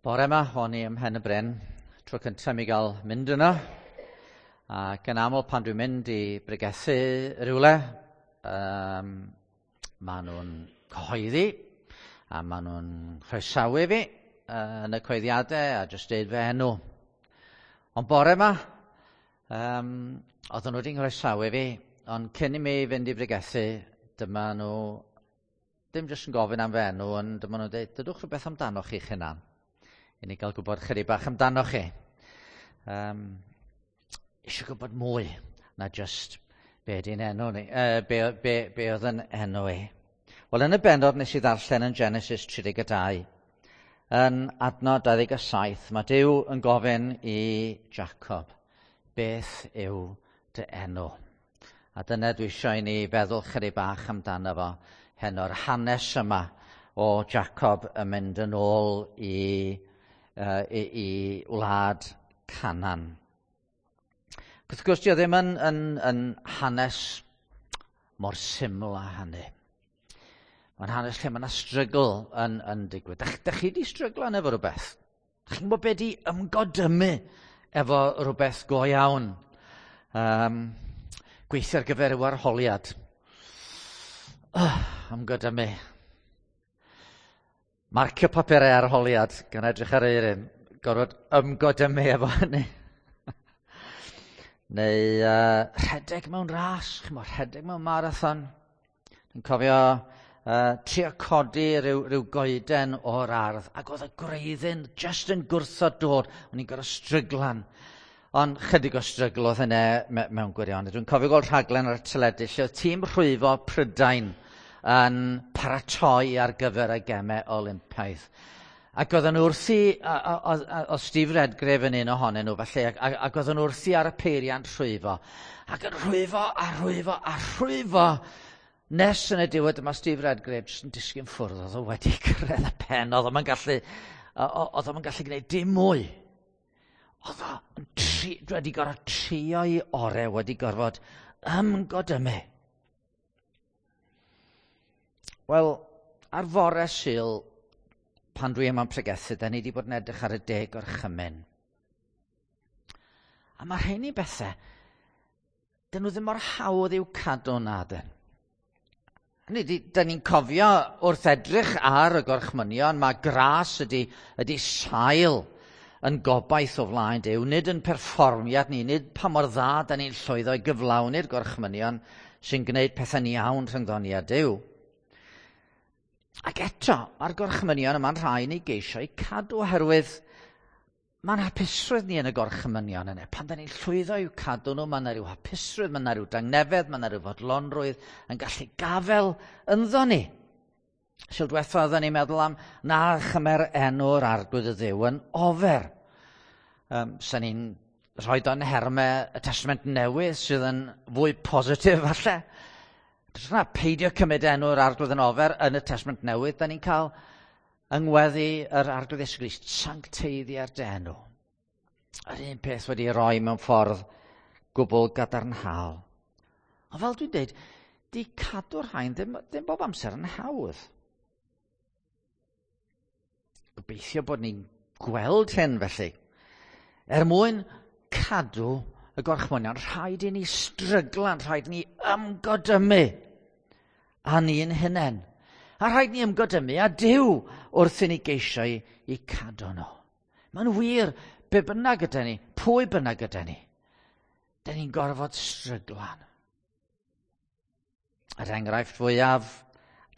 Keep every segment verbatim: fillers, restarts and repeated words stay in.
Bore yma, o'n i ym Mhen y Bryn, tro cyntaf mi gael mynd yno. Ac yn aml pan dwi'n mynd i bregethu rhywle, um, maen nhw'n cyhoeddi a maen nhw'n croesawu fi uh, yn y coeddiadau a jyst deud fy enw. Ond bore yma, um, oedden nhw wedi nghroesawu fi, ond cyn i mi fynd i bregethu, dyma nhw ddim jyst yn gofyn am fy enw, ond dyma nhw'n dweud, dydwch rhywbeth amdano chi'ch hunan. I ni gael gwybod chydig bach amdano chi. Um, eisiau gwybod mwy na just be di'n enw ni, uh, be, be, be oedd yn enw i. Wel, yn y bennod nes i ddarllen yn Genesis tri deg dau, yn adnod dau ddeg saith, mae Duw yn gofyn i Jacob, beth yw dy enw? A dyna dwi eisiau i ni feddwl chydig bach amdano fo heno'r hanes yma o Jacob yn mynd yn ôl i, uh, i, i wlad Canaan. Wrth gwrs, dio ddim yn, yn, yn hanes mor syml â hynny. Mae'n hanes lle mae yna strygl yn, yn digwydd. Dach, dach chi di stryglan efo rhywbeth? Dach chi'n gwybod be di ymgodymu efo rhywbeth go iawn? Um, gweithio ar gyfer yw arholiad. Oh, ymgodymu. Marcio papurau arholiad gan edrych ar eirin. Gorfod ymgodymu efo hynny. Neu uh, rhedeg mewn ras, chimod, rhedeg mewn marathon. Dwi'n cofio uh, trio codi rhyw, rhyw goeden o'r ardd, ac oedd y gwreiddyn just yn gwrthod dod. O'n i'n gorfod stryglan. Ond chydig o strygl oedd hynny me mewn gwirionedd. Dwi'n cofio gweld rhaglen ar y teledu lle oedd tîm rhwyfo Prydain yn paratoi ar gyfer y gemau Olympaidd. Ac oedden nhw wrthi, oedd Steve Redgrave yn un ohonyn nhw felly, ac, ac oedden nhw wrthi ar y peiriant rhwyfo. Ac yn rhwyfo a rhwyfo a rhwyfo, nes yn y diwedd dyma Steve Redgrave jyst yn disgyn ffwrdd, oedd o wedi cyrraedd y pen, oedd o'n gallu, oedd o'n gallu gwneud dim mwy. Oedd o'n tri, wedi gorfod trio'i orau, wedi gorfod ymgodymu. Wel, ar fore Sul, pan dwi yma'n pregethu, da ni wedi bod yn edrych ar y deg gorchymyn. A mae rheini bethau, dyn nhw ddim mor hawdd i'w cadw na dyn. Hynny ydi, da ni'n cofio wrth edrych ar y gorchmynion, mae gras ydy, ydy sail yn gobaith o flaen Duw, nid yn perfformiad ni, nid pa mor dda da ni'n llwyddo i gyflawni'r gorchmynion sy'n gwneud pethau'n iawn rhyngddon ni a Duw. Ac eto, mae'r gorchmynion yma'n rhai ni geisio i cadw oherwydd mae'n hapusrwydd ni yn y gorchmynion yna. Pan da ni'n llwyddo i'w cadw nhw, mae yna rhyw hapusrwydd, mae yna rhyw dangnefedd, mae yna rhyw fodlonrwydd yn gallu gafel ynddo ni. Sul diwetha oedden ni'n meddwl am na chymer enw'r Arglwydd y Dduw yn ofer. Um, Sa'n ni'n rhoi o'n nhermau y Testament Newydd sydd yn fwy positif falle. Na, peidio cymryd enw'r Arglwydd yn ofer yn y Testament Newydd, da ni'n cael yngweddi yr Arglwydd Iesu Grist, sancteiddia'r dy enw. Yr un peth wedi roi mewn ffordd gwbl gadarnhaol. Ond fel dwi'n dweud, di cadw'r rhain ddim, ddim bob amser yn hawdd. Gobeithio bod ni'n gweld hyn felly. Er mwyn cadw y gorchmynion, rhaid i ni stryglan, rhaid i ni ymgodymu a ni'n hunain. A rhaid ni ymgodymu a Duw wrth i ni geisio i, i cadw nhw. Mae'n wir, be bynnag gyda ni, pwy bynnag gyda ni, da ni'n gorfod stryglan. Yr enghraifft fwyaf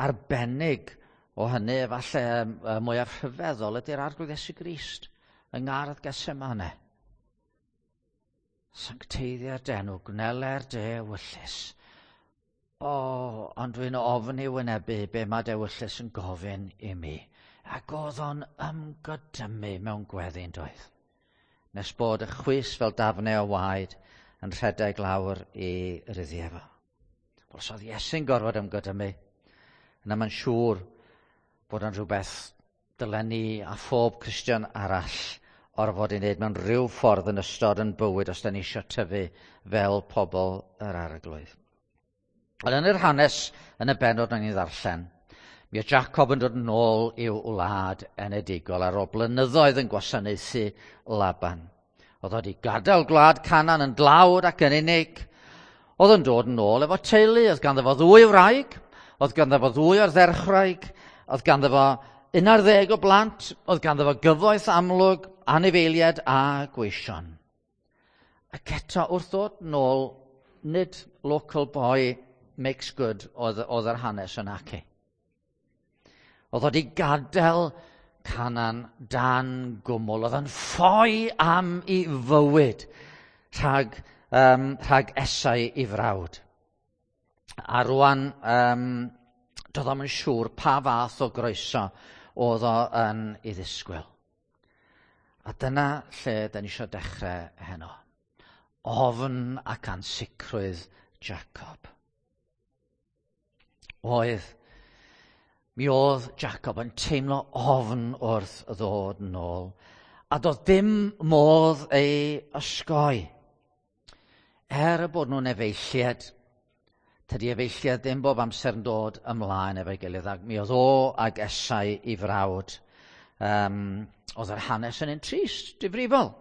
arbennig o hynny, efallai mwyaf rhyfeddol, ydy'r Arglwydd Iesu Grist yng Ngardd Gethsemane. Sancteiddia'r d'enw, gwneler dy ewyllys. O, ond dwi'n ofni wynebu be mae d'ewyllys yn gofyn i mi. Ac oedd o'n ymgodymu mewn gweddi'n doedd. Nes bod y chwys fel dafnau o waed yn rhedeg lawr i ryddiau fo. Wel, os oedd Iesu'n gorfod ymgodymu, yna mae'n siŵr bod yn rhywbeth dylen ni a phob Cristion arall orfod i wneud mewn rhyw ffordd yn ystod yn bywyd os da ni eisiau tyfu fel pobl yr Arglwydd. Ond yn yr hanes yn y bennod o'n i ddarllen, Mi oedd Jacob yn dod yn ôl i'w wlad enedigol ar ôl blynyddoedd yn gwasanaethu Laban. Oedd o wedi gadael gwlad Canaan yn dlawd ac yn unig. Oedd yn dod yn ôl efo teulu, oedd ganddo fo ddwy wraig, oedd ganddo fo ddwy ardderchwraig, oedd ganddo fo un ar ddeg o blant, oedd ganddo fo gyfoeth amlwg, anifeiliaid a gweision. Ac eto wrth ddod nôl, nid local boy makes good oedd, oedd yr hanes yn aci. Oedd o wedi gadael Canaan dan gwmwl. Oedd o'n ffoi am ei fywyd rhag, um, rhag Esau ei frawd. A rwan, um, doedd o'm yn siŵr pa fath o groeso oedd o yn ei ddisgwyl. A dyna lle da ni eisiau dechrau heno. Ofn ac ansicrwydd Jacob. Oedd, mi oedd Jacob yn teimlo ofn wrth ddod nôl, a doedd dim modd ei osgoi. Er y bod nhw'n efeilliad, tydi efeilliad ddim bob amser yn dod ymlaen efo'i gilydd, ac mi oedd o ag Esau ei frawd. Um, oedd yr hanes yn un trist, difrifol.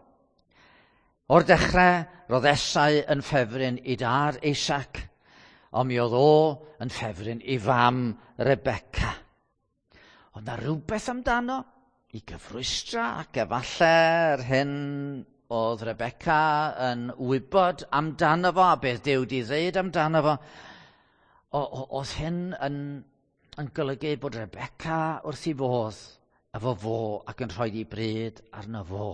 O'r dechrau, roedd Esau yn ffefryn i dad Isaac, ond mi oedd o yn ffefryn i fam Rebecca. Ond na rhywbeth amdano i gyfrwystra ac efallai'r hyn oedd Rebecca yn wybod amdano fo a beth Duw di ddeud amdano fo. Oedd hyn yn, yn golygu bod Rebecca wrth ei fodd efo fo ac yn rhoi ei bryd arno fo.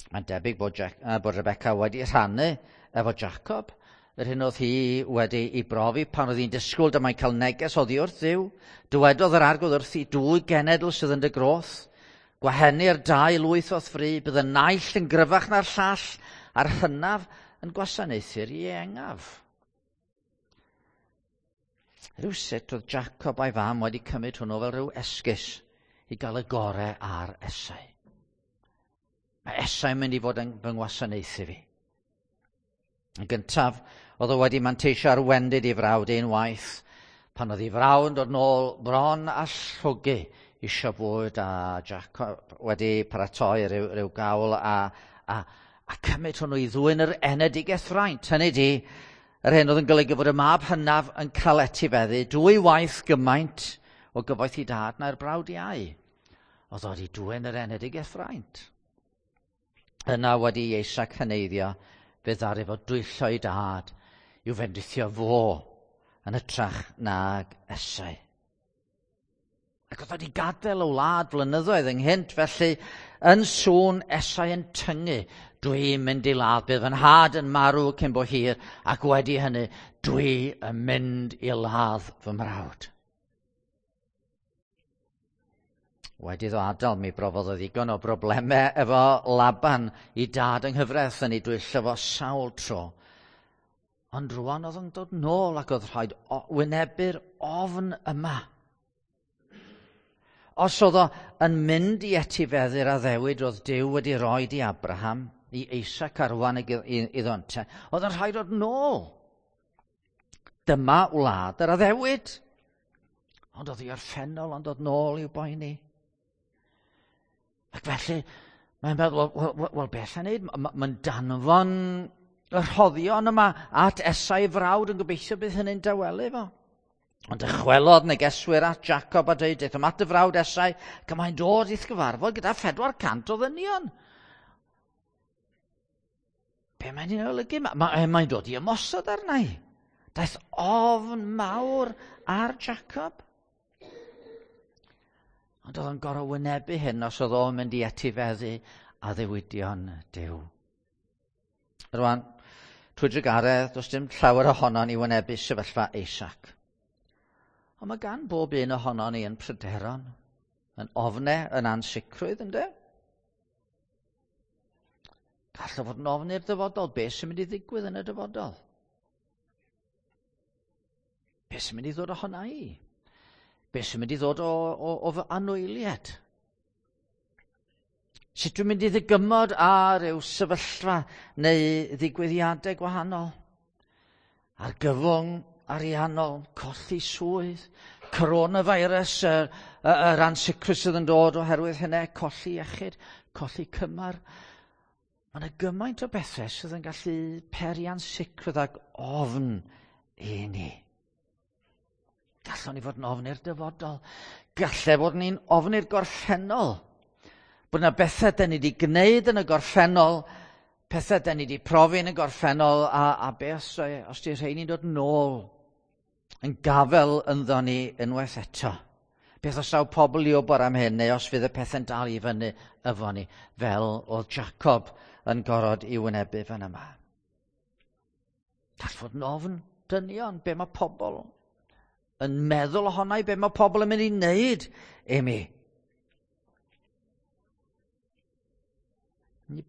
Mae'n debyg bod, Jack, uh, bod Rebecca wedi rhannu efo Jacob yr hyn oedd hi wedi ei brofi pan oedd hi'n disgwyl dyma'n cael neges oddi wrth Dduw. Dywedodd yr Arglwydd wrthi, dwy genedl sydd yn dy groth. Gwahenir dau lwyth o'th fri, bydd y naill yn gryfach na'r llall, a'r hynaf yn gwasanaethu'r ieuengaf. Rhywsut oedd Jacob a'i fam wedi cymryd hwnnw fel rhyw esgus i gael y gorau ar Esau. Mae Esau yn mynd i fod yn fy ngwasanaethu fi. Yn gyntaf, oedd o wedi manteisio ar wendid ei frawd unwaith, pan oedd ei frawd yn dod nôl bron a llwgu isio bwyd a Jacob wedi paratoi rhyw, rhyw gawl a, a, a cymryd hwnnw i ddwyn yr enedigaeth fraint. Hynny di, yr hyn oedd yn golygu fod y mab hynaf yn cael etifeddu dwy waith gymaint o gyfoeth i dad na'r brawd iau. Oedd o wedi dwyn yr enedigaeth fraint. Yna wedi i Isaac heneiddio, fe ddaru fo dwyllo ei dad i'w fendithio fo yn hytrach nag Esau. Ac oedd wedi gadael y wlad flynyddoedd ynghynt, felly yn sŵn Esau yn tyngu, dwi'n mynd i ladd, bydd fy nhad yn marw cyn bo hir, ac wedi hynny, dwi yn mynd i ladd fy mrawd. Wedi iddo adael, mi brofodd o ddigon o broblemau efo Laban i dad yng nghyfraith yn ei dwyllo fo sawl tro. Ond rwan oedd yn dod nôl ac oedd rhaid wynebu'r ofn yma. Os oedd o yn mynd i etifeddu'r addewid oedd Duw wedi roi i Abraham, i Isaac a rwan iddo ynte, oedd yn rhaid dod nôl. Dyma wlad yr addewid. Ond oedd hi orffennol ond dod nôl i'w boeni. Ac felly, mae'n meddwl, wel, wel, wel beth yn neud? Mae'n danfon y rhoddion yma at Esau frawd yn gobeithio bydd hynny'n dawelu fo. Ond dychwelodd negeswyr at Jacob a dweud, daethom at y frawd Esau, ac mae'n dod i'th gyfarfod gyda phedwar cant o ddynion. Be mae'n ei olygu? Mae'n mae dod i ymosod arna i. Daeth ofn mawr ar Jacob. Ond oedd o'n gorfod wynebu hyn os oedd o'n mynd i etifeddu addewidion Duw. Rwan, trwy drugaredd, does dim llawer ohonon ni wynebu sefyllfa Isaac. Ond mae gan bob un ohonon ni yn pryderon, yn ofnau, yn ansicrwydd, ynddo? Gall o fod yn ofn i'r dyfodol. Be sy'n mynd i ddigwydd yn y dyfodol? Be sy'n mynd i ddod ohona i? Be sy'n mynd i ddod o, o, o fy anwyliad? Sut dwi'n mynd i ddygymod ar ryw sefyllfa neu ddigwyddiadau gwahanol? Argyfwng ariannol, colli swydd, coronavirus, yr, yr ansicrwydd sydd yn dod oherwydd hynny, colli iechyd, colli cymar. Mae yna gymaint o bethau sydd yn gallu peri ansicrwydd ac ofn i ni. Gallwn ni fod yn ofn i'r dyfodol. Galle fod ni'n ofn i'r gorffennol. Bod yna bethau da ni wedi gwneud yn y gorffennol, pethau da ni wedi profi yn y gorffennol, a, a be os, os di rheini'n dod nôl yn gafel ynddo ni unwaith eto. Beth os daw pobl i wybod am hyn, neu os fydd y pethau'n dal i fyny efo ni, fel oedd Jacob yn gorfod i wynebu fan yma. Gall fod yn ofn dynion, be mae pobl yn meddwl ohona i, be mae pobl yn mynd i wneud i mi.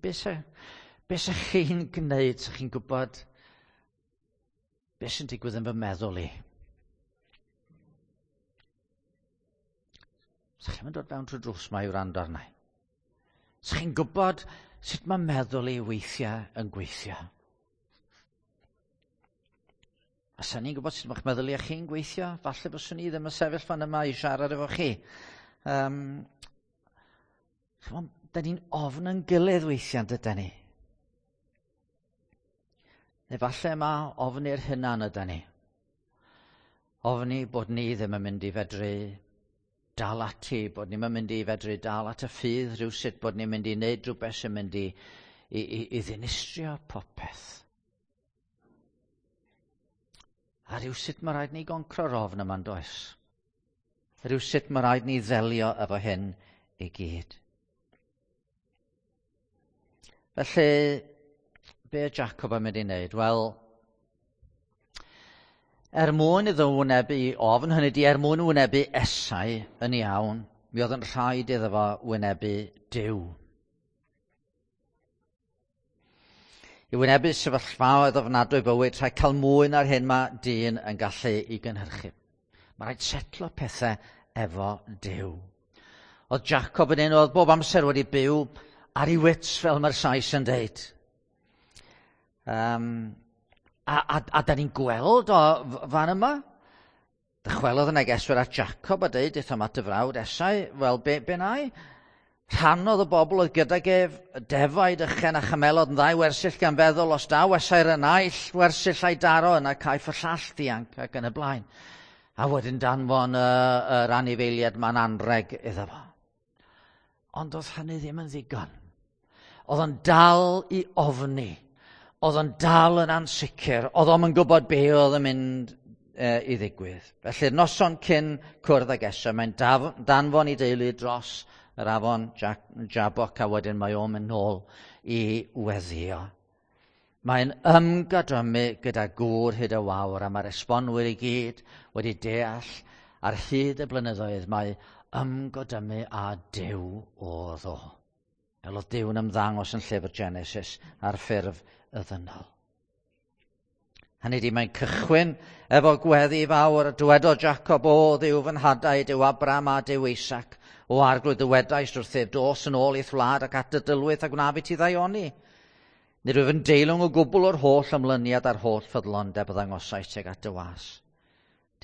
Be sa, be sa chi'n gwneud, sa chi'n gwybod be sy'n digwydd yn fy meddwl i? Sa chi'n dod fewn trwy drws ma i wrando arna i? Sa chi'n gwybod sut mae meddwl i weithiau yn gweithio? A sa ni'n gwybod sut mae'ch meddyliau chi'n gweithio, falle byswn i ddim yn sefyll fan yma i siarad efo chi. Um, chymod, da ni'n ofn yn gilydd weithiau, dyda ni. Neu falle mae ofn i'r hunan yda ni. Ofni bod ni ddim yn mynd i fedru dal ati, bod ni'n mynd i fedru dal at y ffydd rhywsut, bod ni'n mynd i wneud rhywbeth sy'n mynd i, i, i, i ddinistrio popeth. A rhywsut mae rhaid ni goncro'r ofn yma'n does. Rhywsut mae rhaid ni ddelio efo hyn i gyd. Felly, be Jacob yn mynd i wneud? Wel, er mwyn iddo wynebu ofn, hynny di er mwyn wynebu Esau yn iawn, mi oedd yn rhaid iddo fo wynebu Duw. I wynebu sefyllfaoedd ofnadwy bywyd, rhaid cael mwy na'r hyn mae dyn yn gallu i gynhyrchu. Mae rhaid setlo pethau efo Duw. Oedd Jacob yn un oedd bob amser wedi byw ar ei wits, fel mae'r Sais yn deud. Um, a, a, a da ni'n gweld o fan yma. Dychwelodd y negeswyr at Jacob a deud, aethom at y frawd Esau, wel, be, be na i? Rhannodd y bobl oedd gydag ef, defaid, ychen a chamelod yn ddau wersyll gan feddwl, os daw Esau'r y naill wersyll a'i daro, yna caiff y llall ddianc ac yn y blaen. A wedyn danfon y, yr anifeiliaid ma'n anreg iddo fo. Ond oedd hynny ddim yn ddigon. Oedd o'n dal i ofni. Oedd o'n dal yn ansicr. Oedd o'm yn gwybod be oedd yn mynd e, i ddigwydd. Felly'r noson cyn cwrdd ag Esau, mae'n daf, danfon i deulu dros yr afon Jabbok, a wedyn mae o'n mynd nôl i weddio. Mae'n ymgadrymu gyda gŵr hyd y wawr, a mae'r esbonwyr i gyd wedi deall ar hyd y blynyddoedd mae ymgodymu â Duw oedd o. Fel oedd Duw yn ymddangos yn llyfr Genesis ar ffurf y ddynol. Hynny di, mae'n cychwyn efo gweddi fawr, dywedodd Jacob, o Dduw fy nhadau, Duw Abraham a Duw Isaac, o arglwydd dywedaist wrthyf, dos yn ôl i'th wlad ac at dy dylwyth a gwnaf i ti ddaioni. Nid wyf yn deilwng o gwbl o'r holl ymlyniad a'r holl ffyddlondeb y ddangosais tuag at dy was.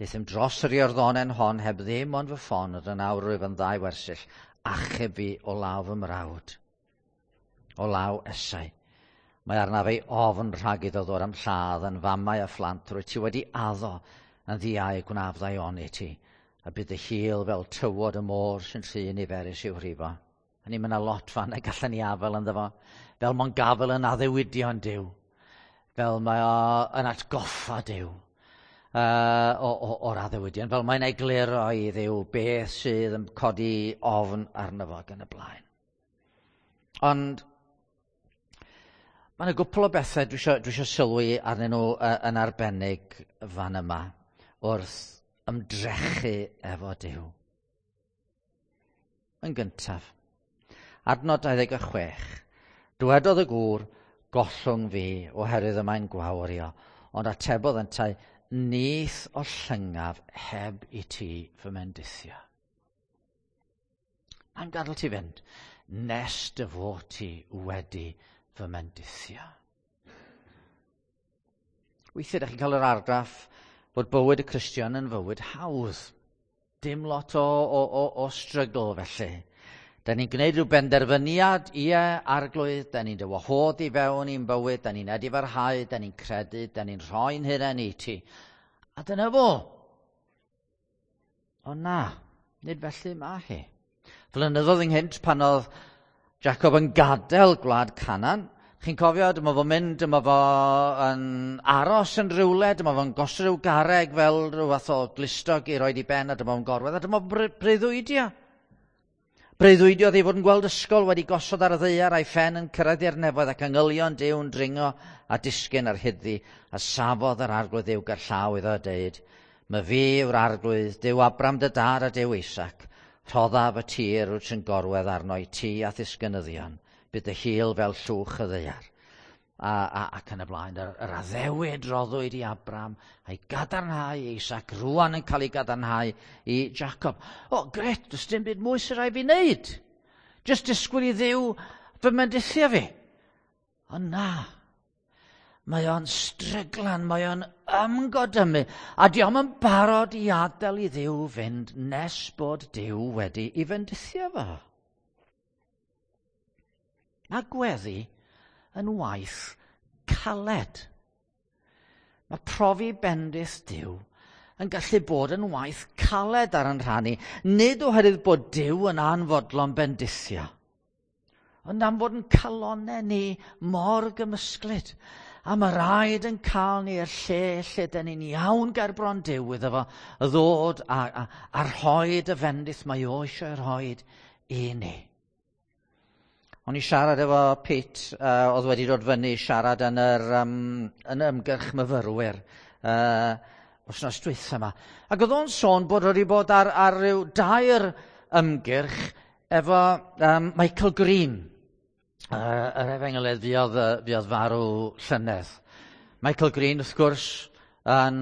Deuthum dros yr Iorddonen hon heb ddim ond fy ffon, ond yn awr rwyf yn ddau wersyll, achub fi o law fy mrawd, o law Esau. Mae arnaf ei ofn rhag iddo ddod am lladd yn famau a phlant, rwy ti wedi addo yn ddiau gwnaf ddaioni ti, a bydd y hil fel tywod y môr sy'n rhy niferus i'w rhifo. Hynny, mae yna lot fan y gallan ni afel ynddo fo, fel mae'n gafel yn addewidion Duw, fel mae o yn atgoffa Duw uh, o, o, o'r addewidion, fel mae'n egluro i Dduw beth sydd yn codi ofn arno fo ac yn y blaen. Ond mae yna gwpl o bethau dwi isio, dwi isio sylwi arnyn nhw uh, yn arbennig fan yma wrth ymdrechu efo Duw. Yn gyntaf, adnod dau ddeg a chwech, dywedodd y gŵr, gollwng fi oherwydd y mae'n gwawrio, ond atebodd yntau, nith ollyngaf heb i ti fy mendithio. Mae'n gadael ti fynd, nes dy fod ti wedi fy mendithio. Weithiau, ydych chi'n cael yr argraff bod bywyd y Cristion yn fywyd hawdd. Dim lot o, o, o, o strygl felly. Da ni'n gwneud rhyw benderfyniad, ie, Arglwydd, da ni'n dy wahodd i fewn i'n bywyd, da ni'n edifarhau, da ni'n credu, da ni'n rhoi'n hunain i ti. A dyna fo. Ond na, nid felly mae hi. Flynyddoedd ynghynt pan oedd Jacob yn gadael gwlad Canaan, chi'n cofio, dyma fo'n mynd, dyma fo yn aros yn rhywle, dyma fo'n gosod rhyw garreg fel rhyw fath o glustog i roed i ben, a dyma fo'n gorwedd, a dyma fo'n breuddwydio. Breuddwydiodd ei fod yn gweld ysgol wedi gosod ar y ddaear a'i phen yn cyrraedd i'r nefoedd ac angylion Duw'n dringo a disgyn ar hyddi, a safodd yr Arglwydd Dduw gerllaw iddo a deud, "My fi yw'r Arglwydd, Duw Abram dy dad a Duw Isaac, rhoddaf y tir wyt yn gorwedd arno i ti a ddisgynyddion, bydd dy hil fel llwch y ddaear." A, a, ac yn y blaen, yr, yr addewid roddwyd i Abram, a'i gadarnhau i Isaac, rwan yn cael ei gadarnhau i Jacob. O, gret, does dim byd mwy sy'n rhaid fi wneud. Just disgwyl i Dduw fy mendithio fi. Ond na, mae o'n stryglan, mae o'n ymgodymu, a di o'm yn barod i adael i Dduw fynd nes bod Duw wedi i fendithio fo. Mae gweddi yn waith caled. Mae profi bendith Duw yn gallu bod yn waith caled ar yn rhan ni, nid oherwydd bod Duw yn anfodlon bendithio, ond am fod yn calonau ni mor gymysglyd. A mae rhaid yn cael ni i'r lle lle dyn ni'n iawn ger bron Duw iddo fo ddod a, a, a rhoid y fendith mae o eisiau rhoid i ni. O'n i siarad efo Pete, uh, oedd wedi dod fyny siarad yn yr, um, yn ymgyrch myfyrwyr uh, wythnos dwytha yma. Ac oedd o'n sôn bod wedi bod ar, ar ryw dair ymgyrch efo um, Michael Green, uh, yr efengylydd fuodd, fuodd farw llynedd. Michael Green, wrth gwrs, yn,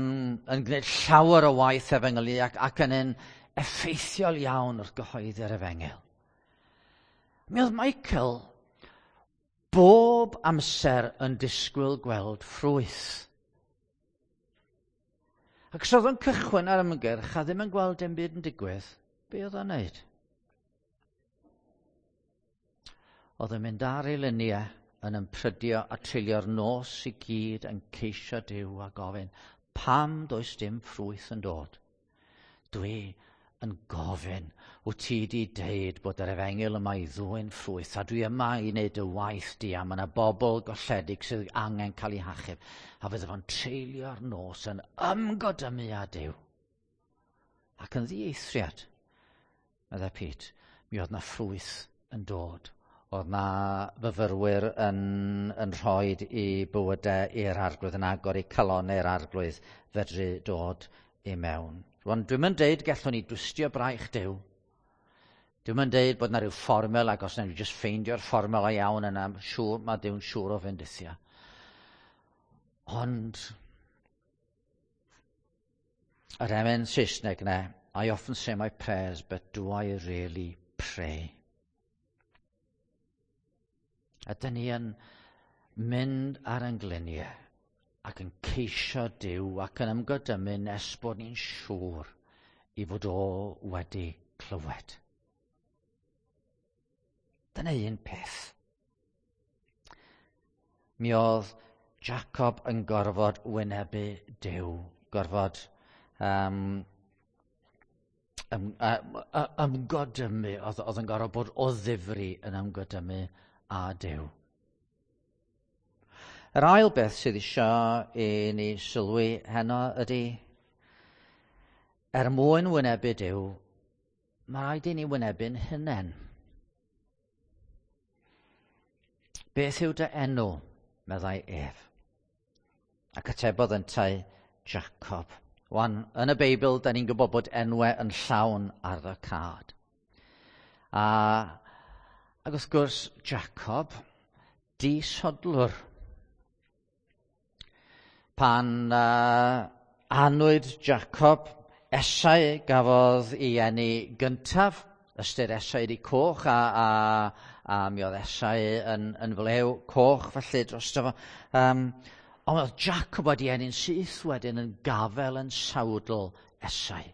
yn gwneud llawer o waith efengylu ac, ac yn un effeithiol iawn wrth gyhoeddi'r efengyl. Mi oedd Michael bob amser yn disgwyl gweld ffrwyth. Ac os oedd o'n cychwyn ar ymgyrch a ddim yn gweld dim byd yn digwydd, be oedd o'n neud? Oedd yn mynd ar ei luniau yn ymprydio a treulio'r nos i gyd yn ceisio Duw a gofyn, pam does dim ffrwyth yn dod? Dwi yn gofyn, wyt ti di deud bod yr efengyl yma i ddwyn ffrwyth, a dwi yma i wneud y waith di, a mae yna bobl golledig sydd angen cael eu hachub, a fydde fo'n treulio'r nos yn ymgodymu â Duw. Ac yn ddieithriad, meddai Pete, mi oedd na ffrwyth yn dod. Oedd na fyfyrwyr yn, yn rhoi i bywydau i'r Arglwydd, yn agor eu calonnau i'r Arglwydd fedru dod i mewn. Rwan, dwi'm yn deud gallwn ni dwstio braich Duw. Dwi'm yn deud bod na rhyw fformel ac os nawn ni just ffeindio'r fformel iawn yna, siŵr, mae Duw'n siŵr o fendithio. Ond yr emyn Saesneg na, "I often say my prayers, but do I really pray?" Ydyn ni yn mynd ar ein gliniau ac yn ceisio Duw ac yn ymgodymu nes bod ni'n siŵr i fod o wedi clywed? Dyna un peth. Mi oedd Jacob yn gorfod wynebu Duw, gorfod um, ym, ymgodymu, oedd, oedd yn gorfod bod o ddifri yn ymgodymu â Duw. Yr ail beth sydd eisiau i ni sylwi heno ydy, er mwyn wynebu Duw, mae rhaid i ni wynebu'n hunain. Beth yw dy enw? Meddai ef. Ac atebodd yntau, Jacob. Wan, yn y Beibl, da ni'n gwybod bod enwau yn llawn ar y cad. A, ac wrth gwrs, Jacob, disodlwr. Pan uh, anwyd Jacob, Esau gafodd ei eni gyntaf, ystyr Esau ydi coch, a, a, a mi oedd Esau yn, yn flew coch felly drosto fo. Um, Ond oedd Jacob wedi eni'n syth wedyn yn gafel yn sawdl Esau.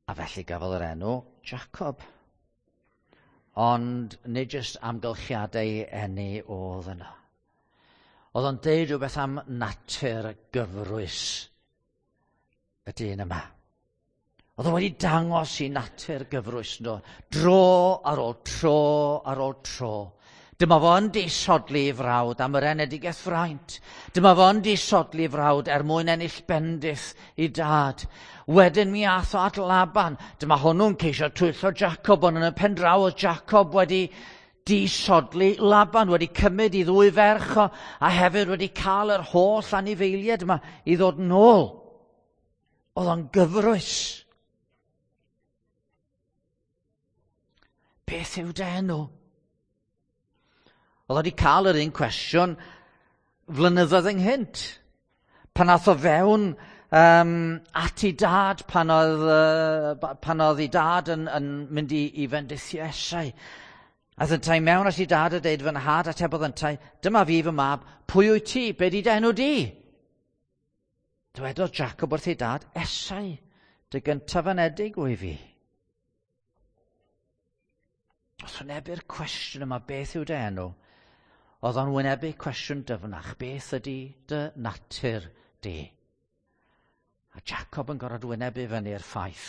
A felly gafodd yr enw Jacob. Ond nid jyst amgylchiadau eni oedd yna. Oedd o'n deud rhywbeth am natur gyfrwys y dyn yma. Oedd o wedi dangos i natur gyfrwys nhw, dro ar ôl tro ar ôl tro. Dyma fo yn disodli i frawd am yr enedigaeth fraint. Dyma fo yn disodli i frawd er mwyn ennill bendith i dad. Wedyn mi ath o at Laban. Dyma hwnnw'n ceisio twyllo Jacob, ond yn y pen draw oedd Jacob wedi disodli Laban, wedi cymryd i ddwy ferch o, a hefyd wedi cael yr holl anifeiliaid yma i ddod nôl. Oedd o'n gyfrwys. Beth yw dy enw? Oedd wedi cael yr un cwestiwn flynyddoedd ynghynt. Pan ath o fewn um, at ei dad, pan oedd, uh, pan oedd ei dad yn, yn mynd i, i fendithio Esau. Ath yntau mewn at ei dad a deud, fy nhad, atebodd yntau, dyma fi fy mab, pwy wyt ti, be di dy enw di? Dywedodd Jacob wrth ei dad, Esau, dy gyntaf anedig wy fi. Wrth wynebu'r cwestiwn yma, beth yw dy enw? Oedd o'n wynebu cwestiwn dyfnach, beth ydy dy natur di? A Jacob yn gorfod wynebu fyny'r ffaith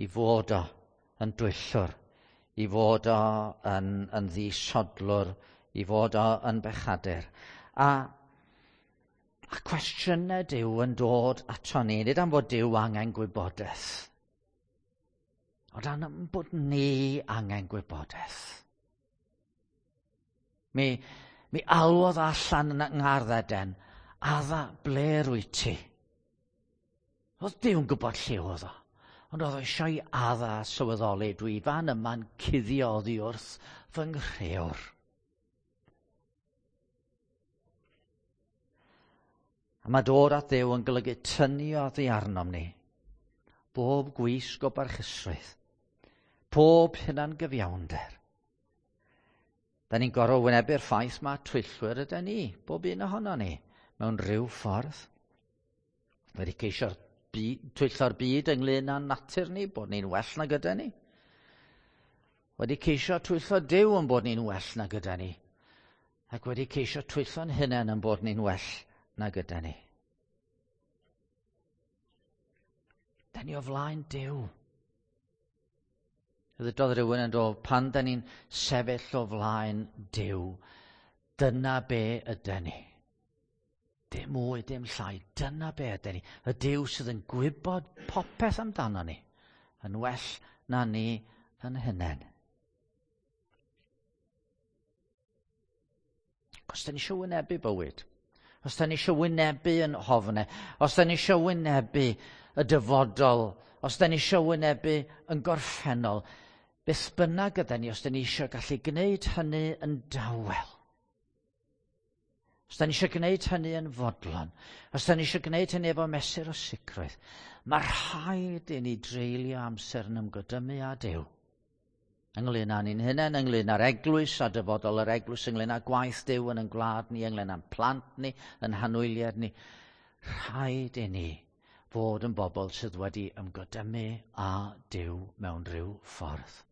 i fod o yn dwyllwr, i fod o yn, yn ddisodlwr, i fod o yn bechadur. A, a cwestiynau Duw yn dod ato ni, nid am fod Duw angen gwybodaeth, ond am bod ni angen gwybodaeth. Mi, mi alwodd allan yn ngardd Eden, Adda, ble rwyt ti? Oedd Duw'n gwybod lle oedd o, ond oedd o eisiau i Adda sylweddoli, dwi fan yma'n cuddio oddi wrth fy nghrëwr. A mae dod at Dduw yn golygu tynnu oddi arnom ni, bob gwisg o barchusrwydd, pob hunan gyfiawnder. Da ni'n gorfod wynebu'r ffaith mae twyllwyr ydy ni, bob un ohono ni, mewn rhyw ffordd. Wedi ceisio'r twyllo'r byd ynglyn â'n natur ni, bod ni'n well na gyda ni. Wedi ceisio twyllo Duw yn bod ni'n well na gyda ni. Ac wedi ceisio twyllo'n hunain yn bod ni'n well na gyda ni. Da ni o flaen Duw. Ddydodd rhywun yn dod, pan da ni'n sefyll o flaen Duw, dyna be ydy ni. Dim mwy, dim llai, dyna be ydy ni. Y Duw sydd yn gwybod popeth amdano ni, yn well na ni yn hunain. Os da ni eisiau wynebu bywyd, os da ni eisiau wynebu yn hofnau, os da ni eisiau wynebu y dyfodol, os da ni eisiau wynebu yn gorffennol, beth bynnag yda ni, os da ni eisiau gallu gwneud hynny yn dawel, os da ni eisiau gwneud hynny yn fodlon, os da ni eisiau gwneud hynny efo mesur o sicrwydd, mae rhaid i ni dreulio amser yn ymgodymu â Duw. Ynglyn â ni'n hunain, ynglyn â'r eglwys a dyfodol yr eglwys, ynglyn â gwaith Duw yn ein gwlad ni, ynglyn â'n plant ni, yn hanwyliad ni. Rhaid i ni fod yn bobl sydd wedi ymgodymu â Duw mewn rhyw ffordd.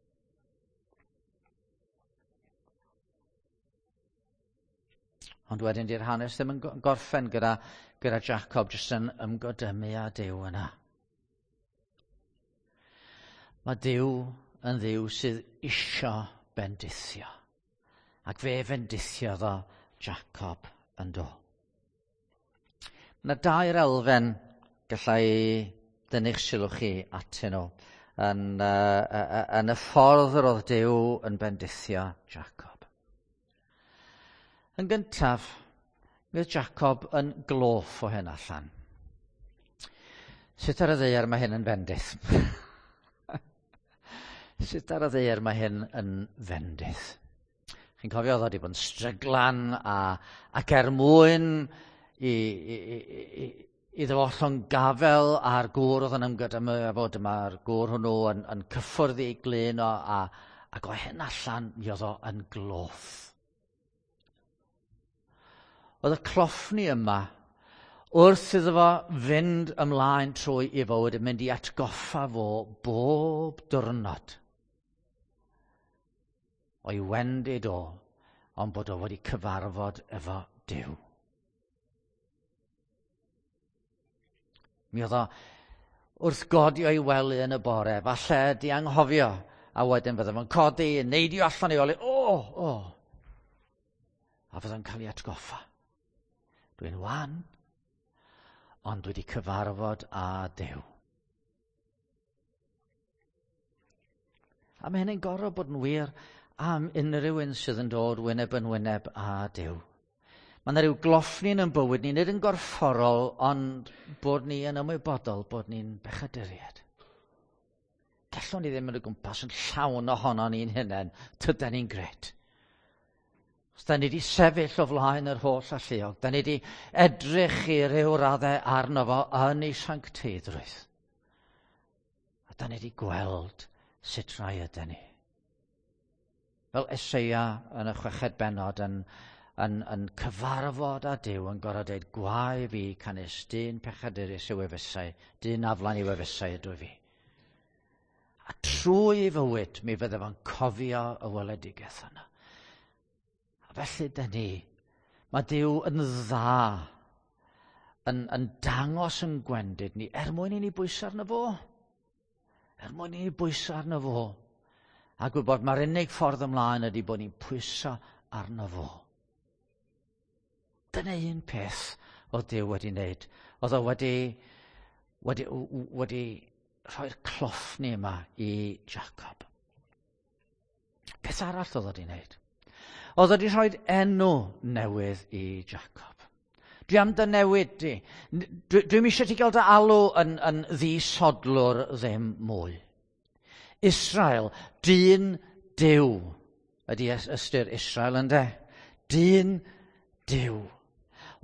Ond wedyn di'r hanes ddim yn gorffen gyda, gyda Jacob jyst yn ymgodymu â Duw yna. Mae Duw yn Dduw sydd isio bendithio. Ac fe fendithiodd o Jacob yn do. Mae yna dair elfen gallai dynnu'ch sylw chi atyn nhw yn, uh, yn y ffordd yr oedd Duw yn bendithio Jacob. Yn gyntaf, mi oedd Jacob yn gloff o hyn allan. Sut ar y ddaear mae hyn yn fendith? Sut ar y ddaear mae hyn yn fendith? Chi'n cofio oedd o wedi bod yn stryglan a, ac er mwyn i, i, i, iddo fo llong gafel a'r gŵr oedd yn ymgydymu efo, dyma'r gŵr hwnnw yn, yn cyffwrdd ei glun o, a, ac o hyn allan mi oedd o yn gloff. Oedd y cloffni yma, wrth iddo fo fynd ymlaen trwy ei fywyd, yn mynd i atgoffa fo bob diwrnod o'i wendid o, ond bod o wedi cyfarfod efo Duw. Mi oedd o wrth godi o'i wely yn y bore, falle di anghofio, a wedyn fydde fo'n codi, yn neidio allan o'i wely, o, o, a fydde'n cael ei atgoffa. Dwi'n wan, ond dwi wedi cyfarfod â Duw. A mae hynny'n gorfod bod yn wir am unrhyw un sydd yn dod wyneb yn wyneb â Duw. Mae yna rhyw gloffni yn bywyd ni, nid yn gorfforol, ond bod ni yn ymwybodol bod ni'n bechaduriaid. Gallwn ni ddim yn y gwmpas yn llawn ohono ni'n hunain, tydan ni'n gret. Os da ni wedi sefyll o flaen yr holl alluog, da ni wedi edrych i ryw raddau arno fo yn ei sancteiddrwydd. A da ni wedi gweld sut rai ydyn ni. Fel Eseia yn y chweched bennod yn, yn, yn cyfarfod â Duw yn gorfod dweud, gwae fi canys dyn pechadurus yw efysau, dyn aflan yw efysau ydw fi. A trwy ei fywyd mi fydde fo'n cofio y weledigaeth yna. A felly dyn ni, mae Duw yn dda, yn, yn dangos yn gwendid ni, er mwyn i ni bwyso arno fo. Er mwyn i ni bwyso arno fo. A gwybod mae'r unig ffordd ymlaen ydy bod ni'n pwyso arno fo. Dyna un peth oedd Duw wedi wneud. Oedd o wedi, wedi, wedi rhoi'r cloffni yma i Jacob. Peth arall oedd o wedi wneud. Oedd o wedi rhoi enw newydd i Jacob. Dwi am dy newid di. Dwi, dwi'm eisiau ti gael dy alw yn, yn ddisodlwr ddim mwy. Israel, dyn Duw, ydy ystyr Israel ynde? Dyn Duw.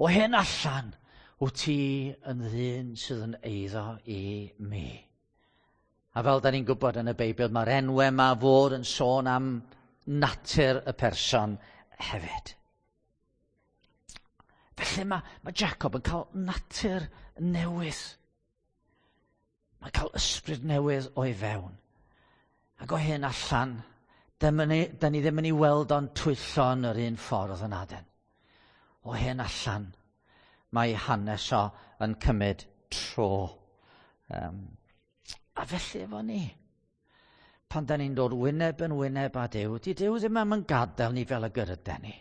O hyn allan, wyt ti yn ddyn sydd yn eiddo i mi. A fel da ni'n gwybod yn y Beibl, mae'r enwau yma fod yn sôn am natur y person hefyd. Felly mae, mae Jacob yn cael natur newydd. Mae'n cael ysbryd newydd o'i fewn. Ac o hyn allan, da ni, da ni ddim yn ei weld o'n twyllo yn yr un ffordd yn aden. O hyn allan, mae hanes o yn cymryd tro. Um, a felly efo ni, pan da ni'n dod wyneb yn wyneb â Duw, di Duw ddim am yn gadael ni fel y gyryden ni.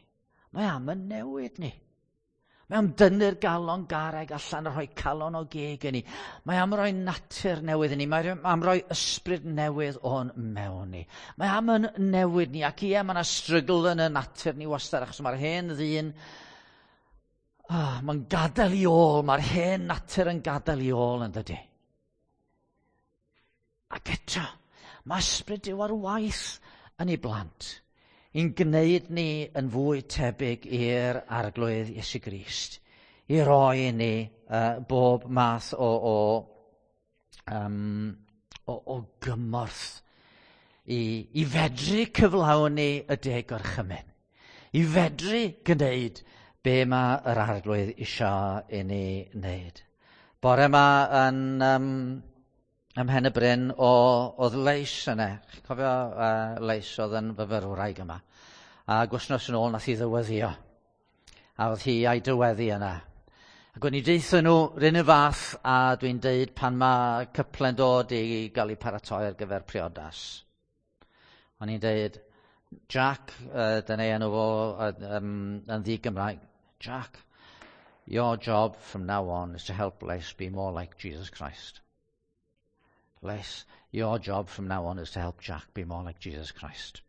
Mae am yn newid ni. Mae am dynnu'r galon garreg allan a rhoi calon o geg i ni. Mae am roi natur newydd i ni. Mae am roi ysbryd newydd o'n mewn ni. Mae am yn newid ni. Ac ie, mae yna strygl yn y natur ni wastad, achos mae'r hen ddyn, oh, mae'n gadael i ôl. Mae'r hen natur yn gadael i ôl yn dydy. Ac eto, mae ysbryd Duw ar waith yn ei blant, i'n gwneud ni yn fwy tebyg i'r Arglwydd Iesu Grist, i roi i ni uh, bob math o, o, um, o, o gymorth i, i fedru cyflawni y deg gorchymyn, i fedru gwneud be mae yr Arglwydd eisiau i ni wneud. Bore yma yn... Um, ym Mhen y Bryn o, oedd Leis yna. Chi'n cofio uh, Leis oedd yn fyfyrwraig yma. A gwsnos yn ôl nath hi ddyweddio. A oedd hi a'i dyweddi yna. Ac o'n i deutha nhw run y fath a dwi'n deud pan mae cyple'n dod i gael ei paratoi ar gyfer priodas. O'n i'n deud, Jack, uh, dyna ei enw fo uh, um, yn ddi-Gymraeg, Jack, your job from now on is to help Les be more like Jesus Christ. Les, your job from now on is to help Jack be more like Jesus Christ.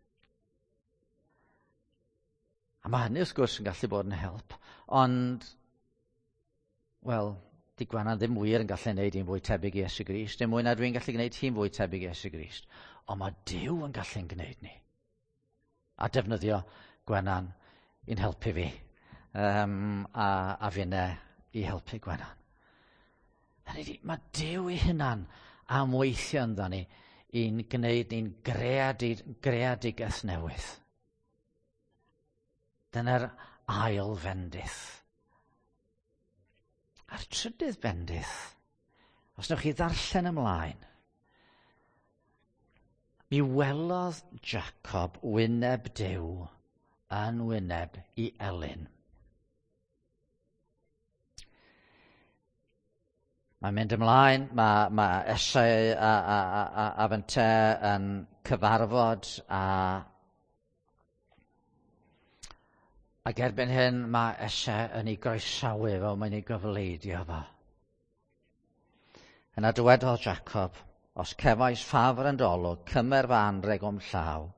A mae hynny wrth gwrs yn gallu bod yn help, ond, wel, di Gwennan ddim wir yn gallu gwneud hi'n fwy tebyg i Iesu Grist, dim mwy na dwi'n gallu gwneud hi'n fwy tebyg i Iesu Grist. Ond mae Duw yn gallu'n gwneud ni. A defnyddio Gwennan i'n helpu fi, um, a, a finne i helpu Gwennan. Hynny ydi, mae Duw ei hunan am weithio ynddo ni i'n gwneud ni'n greadig, greadigaeth newydd. Dyna'r ail fendith. A'r trydydd bendith, os newch chi ddarllen ymlaen, mi welodd Jacob wyneb Duw yn wyneb i Elyn. Mae'n mynd ymlaen, mae, mae Esau a, a, a, a, a fynte yn cyfarfod a ac erbyn hyn mae Esau yn ei groesawu fo, mae'n ei gyfleidio fo. Yna dywedodd Jacob, os cefais ffafr yn dy olwg, cymer fy anrheg o'm llaw.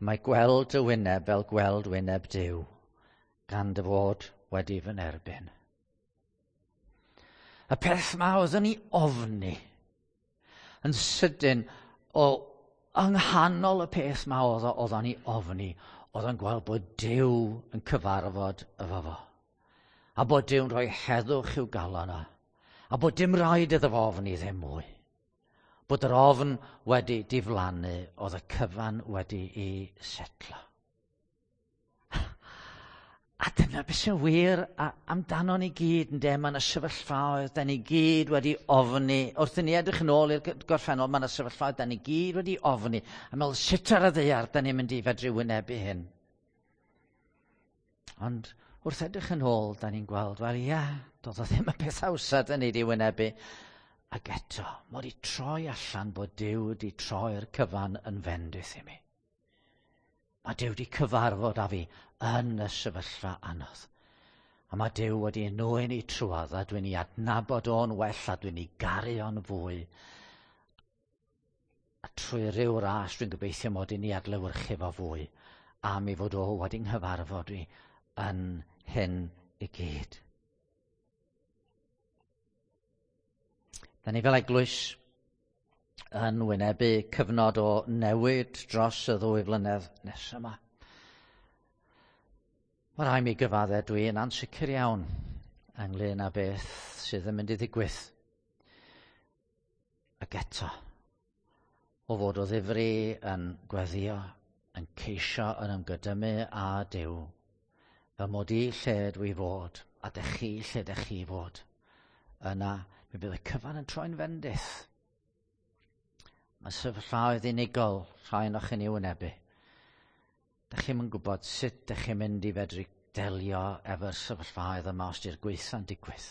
Mae gweld dy wyneb fel gweld wyneb Duw, gan dy fod wedi fy nerbyn. Y peth ma oeddwn ni ofni yn sydyn o yng nghanol y peth ma oedd oeddwn ni ofni, oedd o'n gweld bod Duw yn cyfarfod efo fo. A bod Duw'n rhoi heddwch i'w galon o. A bod dim rhaid iddo fo ofni ddim mwy. Bod yr ofn wedi diflannu, oedd y cyfan wedi ei setlo. A dyna beth sy'n wir amdano ni gyd, ynde? Mae yna sefyllfaoedd, da ni gyd wedi ofni. Wrth i ni edrych yn ôl i'r gorffennol, mae yna sefyllfaoedd, da ni gyd wedi ofni. A meddwl, sut ar y ddaear da ni'n mynd i fedru wynebu hyn? Ond wrth edrych yn ôl, da ni'n gweld, wel ie, doedd o ddim y peth hawsa da ni wedi wynebu. Ac eto, mae wedi troi allan bod Duw wedi troi'r cyfan yn fendith i mi. Mae Duw wedi cyfarfod â fi yn y sefyllfa anodd. A mae Duw wedi nwyn i trwodd, a dwi'n ei adnabod o'n well, a dwi'n ei garu o'n fwy. A trwy ryw ras dwi'n gobeithio mod i'n ei adlewyrchu fo fwy, am ei fod o wedi nghyfarfod i yn hyn i gyd. Da ni fel eglwys yn wynebu cyfnod o newid dros y ddwy flynedd nesaf yma. Mae rhaid mi gyfadde dwi yn ansicr iawn ynglyn â beth sydd yn mynd i ddigwydd. Ac eto, o fod o ddifri yn gweddio, yn ceisio yn ymgydymu â Duw, fel mod i lle dwi fod, a dych chi lle dych chi fod, yna mi bydd y cyfan yn troi'n fendith. Mae sefyllfaoedd unigol rhai o'ch chi'n ei wynebu. Dych chi'm yn gwybod sut dych chi'n mynd i fedru delio efo'r sefyllfaoedd yma os di'r gweitha'n digwydd.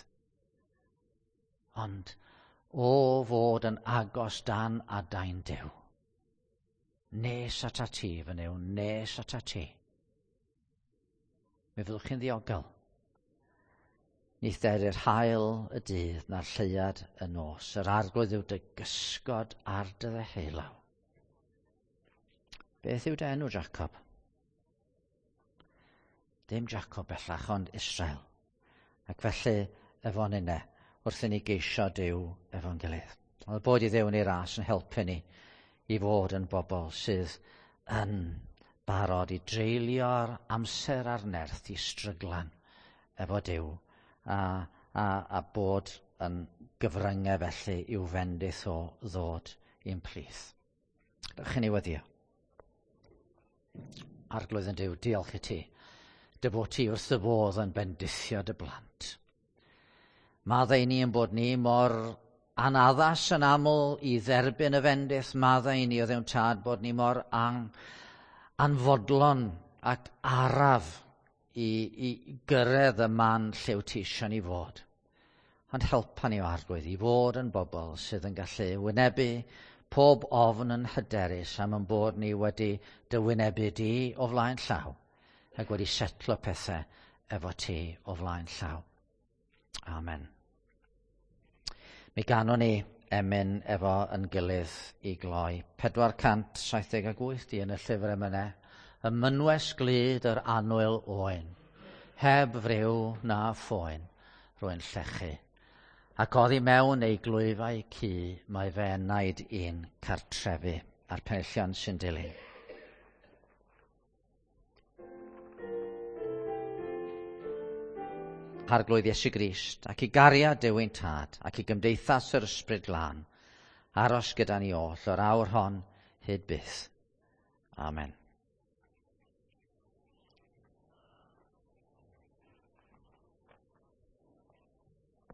Ond o fod yn agos dan adain Duw, nes atat ti fy Nuw, nes atat ti, mi fyddwch chi'n ddiogel. Ni dderir haul y dydd na'r lleuad y nos. Yr arglwydd yw dy gysgod ar dy ddeheulaw. Beth yw dy enw, Jacob? Dim Jacob bellach, ond Israel. Ac felly, efo ninne, wrth i ni geisio Duw efo'n gilydd. Ond bod i Dduw yn ei ras yn helpu ni i fod yn bobl sydd yn barod i dreulio'r amser a'r nerth i stryglan efo Duw a, a, a bod yn gyfryngau felly i'w fendith o ddod i'n plith. Dewch i ni weddio. Arglwydd yn Duw, diolch i ti. Dy fod ti wrth dy fodd yn bendithio dy blant. Maddau ni yn bod ni mor anaddas yn aml i dderbyn y fendith. Maddau ni o Dduw Tad bod ni mor an, anfodlon ac araf i, i gyrraedd y man lle wyt ti eisiau ni fod. Ond helpa ni o Arglwydd i fod yn bobl sydd yn gallu wynebu pob ofn yn hyderus am yn bod ni wedi dy wynebu di o flaen llaw ac wedi setlo pethau efo ti o flaen llaw. Amen. Mi ganwn ni emyn efo yn gilydd i gloi. pedwar cant saith deg wyth di yn y llyfr emynau. Y mynwes glud yr annwyl oen, heb friw na phoen, rwy'n llechu. Ac oddi mewn ei glwyfau cu, mae fe enaid i'n cartrefu, a'r penillion sy'n dilyn. Arglwydd Iesu Grist, ac i gariad Duw ein Tad, ac i gymdeithas yr Ysbryd Glân, aros gyda ni oll o'r awr hon hyd byth. Amen.